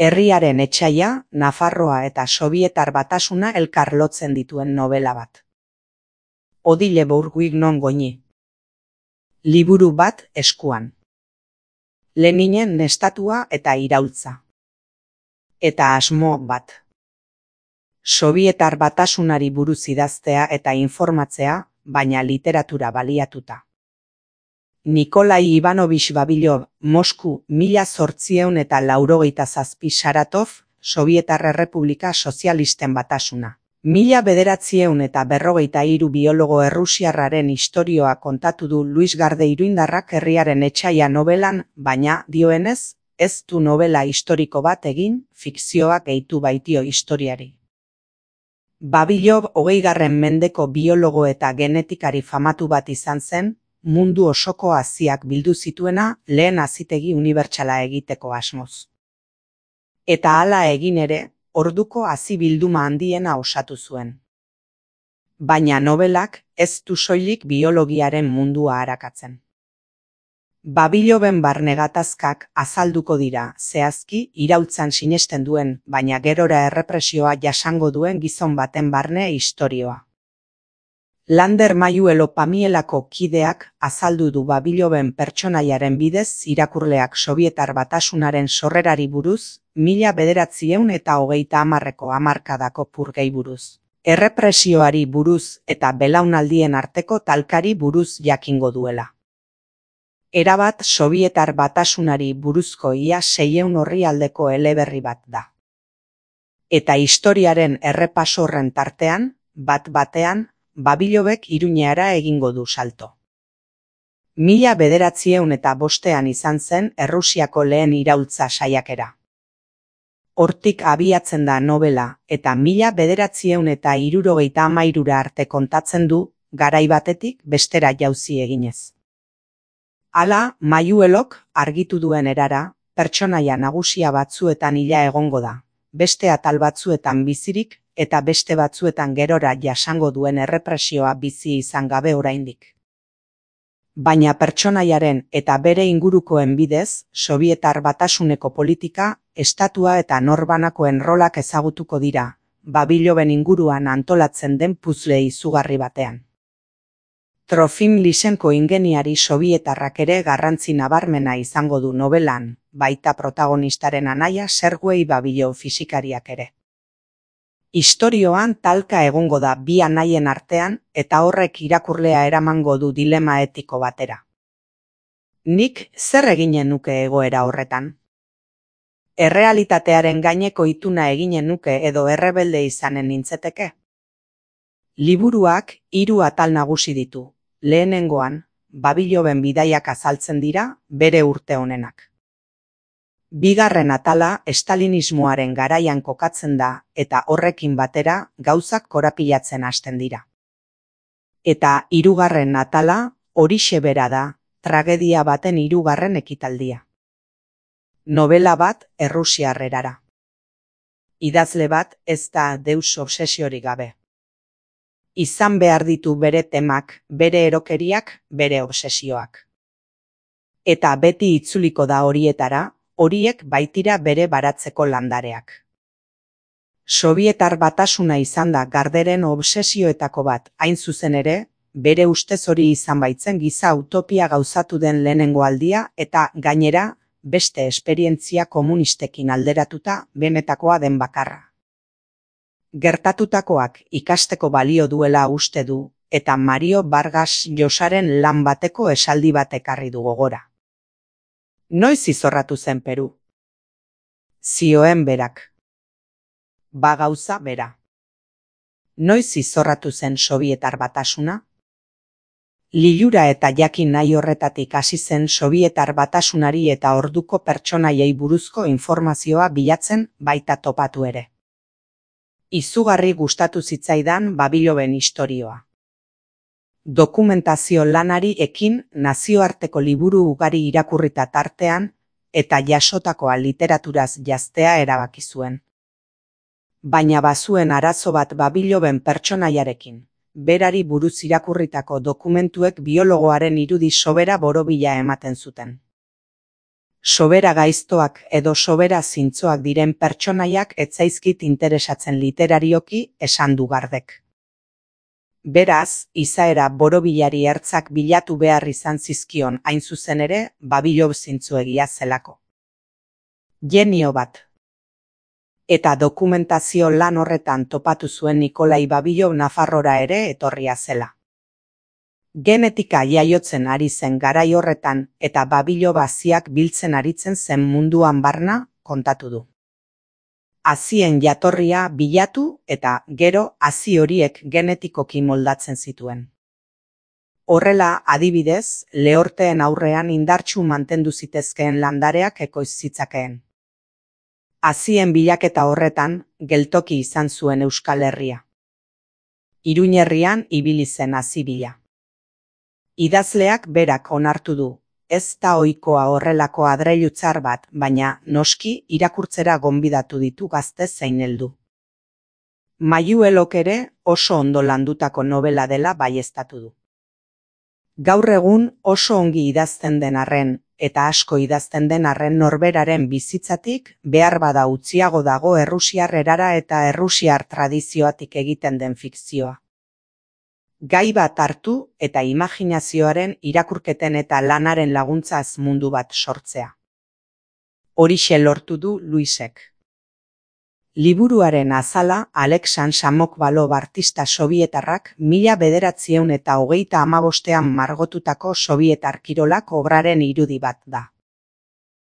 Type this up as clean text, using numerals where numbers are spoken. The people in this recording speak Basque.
Herriaren etsaia, Nafarroa eta Sobietar Batasuna elkar lotzen dituen nobela bat. Odile Bourguignon Goñi. Liburu bat eskuan. Leninen nestatua eta iraultza. Eta asmo bat. Sobietar Batasunari buruz idaztea eta informatzea, baina literatura baliatuta. Nikolai Ivanovich Babilov, Mosku, 1887, Saratov, Sobietar Errepublika Sozialisten Batasuna. 1943 biologo errusiarraren istorioa kontatu du Luis Garde Iruindarrak Herriaren etsaia nobelan, baina, dioenez, ez du nobela historiko bat egin, fikzioak gehitu baitio historiari. Babilov 20. mendeko biologo eta genetikari famatu bat izan zen, mundu osoko haziak bildu zituena lehen hazitegi unibertsala egiteko asmoz. Eta hala egin ere, orduko hazi bilduma handiena osatu zuen. Baina nobelak ez du soilik biologiaren mundua arakatzen. Babiloven barne gatazkak azalduko dira, zehazki iraultzan sinesten duen, baina gerora errepresioa jasango duen gizon baten barne istorioa. Lander Mayuelo Pamielako kideak azaldu du Babiloven pertsonaiaren bidez irakurleak Sobietar Batasunaren sorrerari buruz, 1930ko hamarkadako purgei buruz, errepresioari buruz eta belaunaldien arteko talkari buruz jakingo duela. Erabat Sobietar Batasunari buruzko ia 600 orrialdeko eleberri bat da. Eta historiaren errepaso horren tartean, bat-batean, Babilobek Iruñeara egingo du salto. 1905 izan zen Errusiako lehen iraultza saiakera. Hortik abiatzen da nobela eta 1973 arte kontatzen du, garai batetik bestera jauzi eginez. Hala, Mayuelok argitu duen erara, pertsonaia nagusia batzuetan hila egongo da, beste atal batzuetan bizirik, eta beste batzuetan gerora jasango duen errepresioa bizi izan gabe oraindik. Baina pertsonaiaren eta bere ingurukoen bidez, Sobietar Batasuneko politika, estatua eta norbanakoen rolak ezagutuko dira, Babiloven inguruan antolatzen den puzle izugarri batean. Trofim Lysenko ingeniari sobietarrak ere garrantzi nabarmena izango du nobelan, baita protagonistaren anaia Sergei Babilov fisikariak ere. Istorioan talka egongo da bi anaien artean eta horrek irakurlea eramango du dilema etiko batera. Nik zer eginen nuke egoera horretan? Errealitatearen gaineko ituna eginen nuke edo errebelde izanen nintzeteke? Liburuak 3 atal nagusi ditu. Lehenengoan, Babiloven bidaiak azaltzen dira bere urte honenak. Bigarren atala estalinismoaren garaian kokatzen da eta horrekin batera gauzak korapilatzen hasten dira. Eta 3. atala horixe bera da, tragedia baten 3. ekitaldia. Nobela bat errusiar erara. Idazle bat ez da deus obsesiorik gabe. Izan behar ditu bere temak, bere erokeriak, bere obsesioak. Eta beti itzuliko da horietara, horiek baitira bere baratzeko landareak. Sobietar Batasuna izan da Garderen obsesioetako bat, hain zuzen ere, bere ustez hori izan baitzen giza utopia gauzatu den lehenengo aldia eta gainera, beste esperientzia komunistekin alderatuta benetakoa den bakarra. Gertatutakoak ikasteko balio duela uste du, eta Mario Vargas Llosaren lan bateko esaldi bat ekarri du gogora. Noiz izorratu zen Peru? Zioen berak. Ba gauza bera. Noiz izorratu zen Sobietar Batasuna? Lilura eta jakin nahi horretatik hasi zen Sobietar Batasunari eta orduko pertsonaiei buruzko informazioa bilatzen baita topatu ere. Izugarri gustatu zitzaidan Babiloven istorioa. Dokumentazio lanari ekin nazioarteko liburu ugari irakurrita tartean eta jasotakoa literaturaz jaztea erabaki zuen. Baina bazuen arazo bat Babiloven pertsonaiarekin, berari buruz irakurritako dokumentuek biologoaren irudi sobera borobila ematen zuten. Sobera gaiztoak edo sobera zintzoak diren pertsonaiak ez zaizkit interesatzen literarioki, esan du Gardek. Beraz, izaera borobilari ertzak bilatu behar izan zizkion hain zuzen ere, Babilov zintzoegia zelako. Genio bat. Eta dokumentazio lan horretan topatu zuen Nikolai Babilov Nafarrora ere etorria zela. Genetika jaiotzen ari zen garai horretan eta Babilov haziak biltzen aritzen zen munduan barna, kontatu du. Hazien jatorria bilatu eta gero hazi horiek genetikoki moldatzen zituen. Horrela, adibidez, lehorteen aurrean indartsu mantendu zitezkeen landareak ekoiz zitzakeen. Hazien bilaketa horretan, geltoki izan zuen Euskal Herria. Iruin herrian ibili zen hazi bila. Idazleak berak onartu du, ez da ohikoa horrelako adreilu txar bat, baina noski irakurtzera gonbidatu ditu gazte zein heldu. Mayuelok ere oso ondo landutako novela dela baieztatu du. Gaur egun oso ongi idazten den arren, eta asko idazten den arren norberaren bizitzatik, behar bada utziago dago errusiar erara eta errusiar tradizioatik egiten den fikzioa. Gai bat hartu eta imaginazioaren irakurketen eta lanaren laguntzaz mundu bat sortzea. Horixe lortu du Luisek. Liburuaren azala Alexan Samokvalov artista sobietarrak 1925 margotutako sobietar kirolak obraren irudi bat da.